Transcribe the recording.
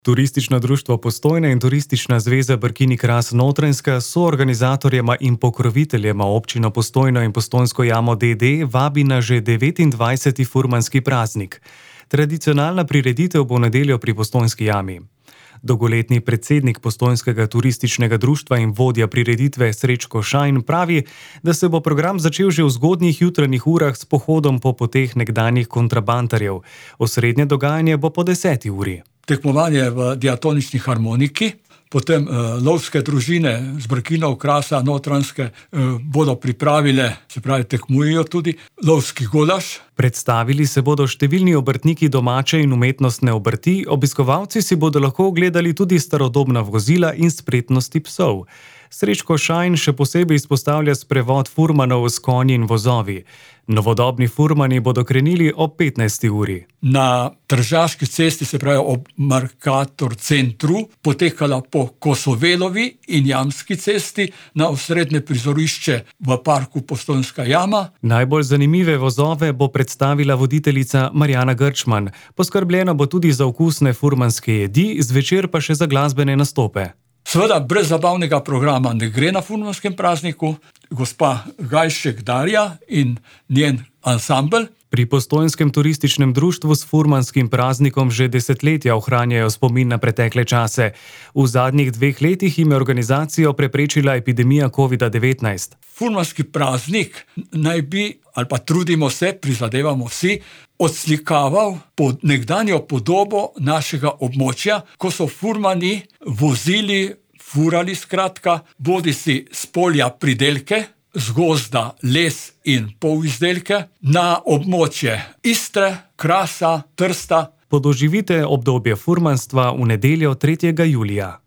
Turistično društvo Postojna in Turistična zveza Brkini Kras Notranjska so organizatorjema in pokroviteljema občino Postojno in Postojnsko jamo d.d. vabi na že 29. furmanski praznik. Tradicionalna prireditev bo v nedeljo pri Postojnski jami. Dolgoletni predsednik Postojnskega turističnega društva in vodja prireditve Srečko Šajn pravi, da se bo program začel že v zgodnjih jutranjih urah s pohodom po poteh nekdanjih kontrabandarjev. Osrednje dogajanje bo po 10. uri. Tekmovanje v diatonični harmoniki, potem lovske družine z Brkinov, Krasa, Notranjske bodo pripravile, se pravi tekmujejo tudi, lovski golaž. Predstavili se bodo številni obrtniki domače in umetnostne obrti, obiskovalci si bodo lahko ogledali tudi starodobna vozila in spretnosti psov. Srečko Šajn še posebej izpostavlja sprevod furmanov s konji in vozovi. Novodobni furmani bodo krenili ob 15. uri. Na Tržaški cesti, se pravi ob Mercator centru, potekala po Kosovelovi in Jamski cesti na osrednje prizorišče v parku Postojnska jama. Najbolj zanimive vozove bo predstavila voditeljica Marjana Grčman. Poskrbljeno bo tudi za okusne furmanske jedi, zvečer pa še za glasbene nastope. Seveda brez zabavnega programa ne gre na furmanskem prazniku. Gospa Gajšek Darja in njen ansambel. Pri Postojnskem turističnem društvu s furmanskim praznikom že desetletja ohranjajo spomin na pretekle čase. V zadnjih 2 letih jim je organizacijo preprečila epidemija COVID-19. Furmanski praznik naj bi, ali pa trudimo se, prizadevamo vsi, odslikaval nekdanjo podobo našega območja, ko so furmani vozili, furali skratka, bodisi s polja pridelke, z gozda les in polizdelke, na območje Istre, Krasa, Trsta. Podoživite obdobje furmanstva v nedeljo 3. julija.